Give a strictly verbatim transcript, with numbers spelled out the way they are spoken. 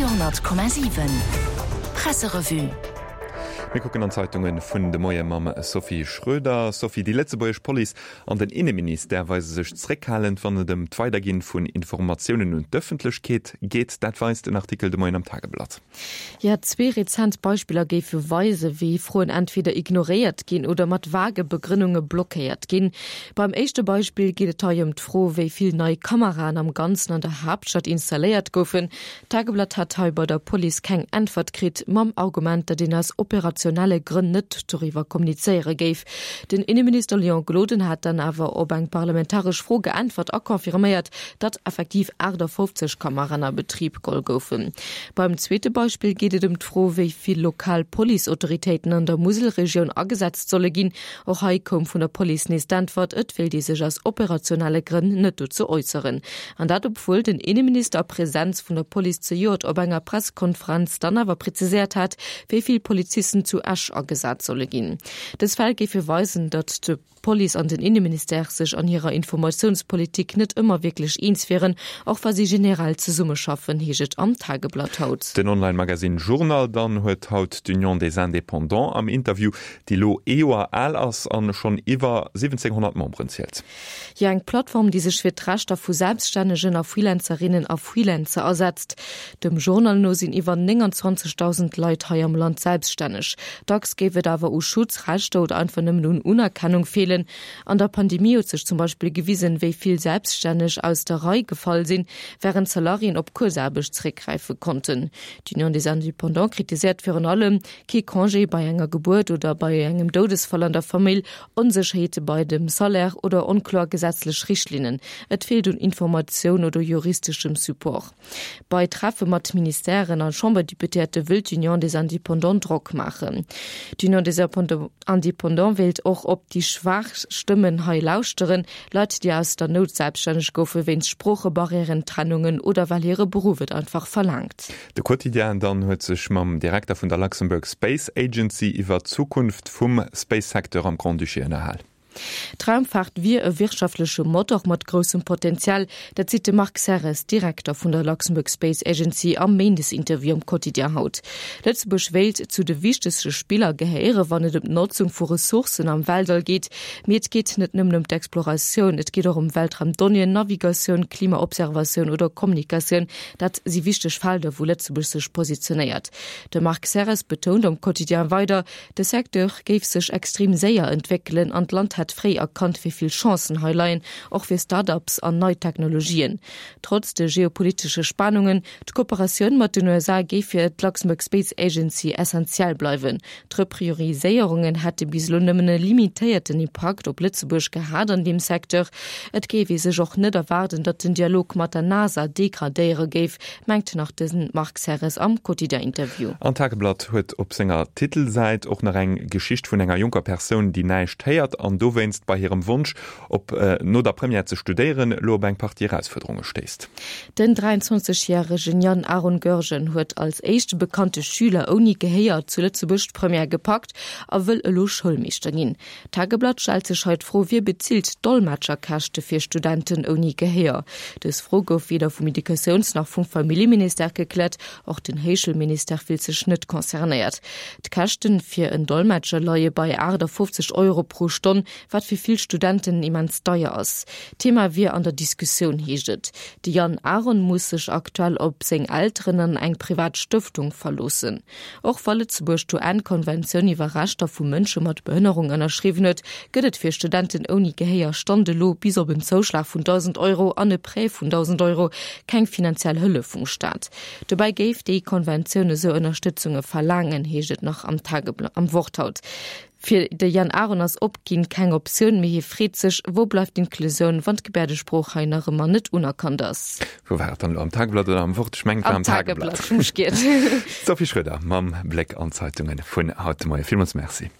Radio honnert Komma siwen Presserevue. Mir kucken an d'Zeitunge vun de Moie mam Sophie Schröder. Sophie, déi lëtzebuergesch Police an den Inneministère weise sech zréckhalend, wann et ëm d'Weiderginn vun Informatiounen un d'Ëffentlechkeet geet. Dat weist en Artikel de Moien am Tageblatt. Jo, zwee rezent Beispiller géife weisen, wéi Froen entweder ignoréiert ginn oder mat vage Begrënnunge blockéiert ginn. Beim éischte Beispill geet et hei ëm d'Fro, wéi vill nei Kameraen am Ganzen an der Haaptstad installéiert goufen. D'Tageblatt hat hei bei der Police keng Äntwert kritt, mam Argument, datt een aus operationelle Grënn net doriwwer kommunizéiere géif. Den Inneminister Léon Gloden hat dann awer op eng parlamentaresch Fro geäntwert a confirméiert, datt effektiv aachtafoffzeg Kameraen a Betrib geholl goufen. Beim zweete Beispill geet et ëm d'Fro, wéi vill lokal Policeautoritéiten an der Muselregioun agesetzt solle ginn. Och hei koum vun der Police nees d'Äntwert, et wéilt ee sech aus operationelle Grënn net dozou äusseren. An dat obwuel den Inneminister a Presenz vun der Police zejoert op enger Pressekonferenz dann awer präziséiert hat, wéi vill Polizisten zu Esch agesat solle ginn. Dës Fäll géife weisen, datt d'Police an den Inneministère sech an hirer Informatiounspolitik net ëmmer wierklech eens wieren, och wa si generell zesummeschaffen, heescht et am Tageblatt haut. Den Online-Magasinn Journal dann huet haut d'Union des Indépendants am Interview, déi elo ee Joer al ass an schonn iwwer siwwenzénghonnert Memberen zielt. Jo, eng Plattform, déi sech fir d'Rechter vu Selbststännegen a Freelancerinnen a Freelancer asetzt. Dem Journal no sinn iwwer nénganzwanzegdausend Leit hei am Land selbststänneg. Dacks géif et awer u Schutz, Rechter oder einfach nëmmen un Unerkennung feelen. An der Pandemie huet sech zum Beispill gewisen, wéi vill Selbststänneg aus der Rei gefall sinn, wärend Salariéen op Kuerzaarbecht zeréckgräife konnten. D'Union des Indépendants kritiséiert virun allem, kee Congé bei enger Gebuert oder bei engem Doudesfall an der Famill, Onsécherheete bei dem Salaire oder onkloer gesetzlech Richtlinnen. Et feelt un Informatioun oder juristeschem Support. Bei Treffe mat Ministèren a Chamberdeputéierte wëll d'Union des Indépendants Drock maachen. D'Union des Indépendants wéilt och op déi schwaach Stëmmen hei lauschteren, Leit, déi aus der Nout selbststänneg goufe wéinst Sproochebarrièren, Trennungen oder well hire Beruff et einfach verlaangt. De Quotidien dann huet sech mam Direkter vun der Luxembourg Space Agency iwwer d'Zukunft vum Space-Secteur am Grand-Duché ënnerhal. D'Raumfaart wier e wirtschaftleche Motor mat groussem Potenzial, dat seet de Marc Serres, Direkter vun der Luxembourg Space Agency am Méindesinterview am Quotidien haut. Lëtzebuerg wéilt zu de wichtegste Spiller gehéieren, wann et ëm d'Notzung vu Ressourcen am Weltall geet. Mee et geet net nëmmen ëm d'Exploratioun, et geet och ëm Weltraumdonnéeën, Navigatioun, Klimaobservatioun oder Kommunikatioun. Dat si wichteg Felder, wou Lëtzebuerg sech positionéiert. De Marc Serres betount am Quotidien weider, de Secteur géif sech extrem séier entwéckelen an d'Land hätt fréi erkannt, wéi vill Chancen hei leien, och fir Start-ups an nei Technologien. Trotz de geopolitesche Spannungen, d'Kooperatioun mat den U S A géif fir d'Luxembourg Space Agency essentiell bleiwen. D'Reprioriséierungen hätte bis elo nëmmen e limitéierten Impakt op Lëtzebuerg gehat an deem Secteur. Et géif ee sech och net erwaarden, datt den Dialog mat der NASA degradéiere géif, mengt nach de Marc Serres am Quotidien-Interview. An d'Tageblatt huet op senger Titelsäit och nach eng Geschicht vun enger jonker Persoun, déi näischt héiert an dowéinst bei hirem Wonsch, op no der Première ze studéieren, elo op eng Partie Erausfuerderunge stéisst. Den dräianzwanzeg järegen Yann Aaron Goergen huet als éischte bekannte Schüler ouni Gehéier zu Lëtzebuerg d'Première gepackt a wëll elo Schoulmeeschter ginn. D'Tageblatt stellt sech hei d'Fro, Wie bezilt d'Dolmetscherkäschte fir Studenten ouni Gehéier? Dës Fro gouf weder vum Educatiouns nach vum Familljeministère gekläert. Och den Héichschoulministère fillt sech net concernéiert. D'Käschten fir en Dolmetscher leie bei aachtafoffzeg Euro pro Stonn, wat fir vill Studenten immens deier ass. D'Thema wier an der Diskussioun, heescht et. De Yann Aaron muss sech aktuell op seng Elteren an eng privat Stëftung verloossen. Och wa Lëtzebuerg d'U N Konventioun iwwer Rechter vu Mënsche mat Behënnerung ënnerschriwwen huet, gëtt et fir Studenten ouni Gehéier Stand elo bis op en Zouschlag vun dausend Euro an e Prêt vun dausend Euro keng finanziell Hëllef vum Staat. Dobäi géif déi Konventioun esou Ënnerstëtzunge verlaangen, heescht et nach am Tageblatt am Wort haut. Fir de Yann Aaron ass Opginn keng Optioun, mee hie freet sech, Wou bleift d'Inklusioun, wann d'Gebäerdesprooch hei nach ëmmer net unerkannt ass? Wou war et dann elo, am Tageblatt oder am Wort? Ech mengen, et war am Am Tageblatt. Tageblatt. Hu mech giert. D'Sophie Schröder mam Bléck an d'Zeitunge vun haut de Moien. Villmools Merci.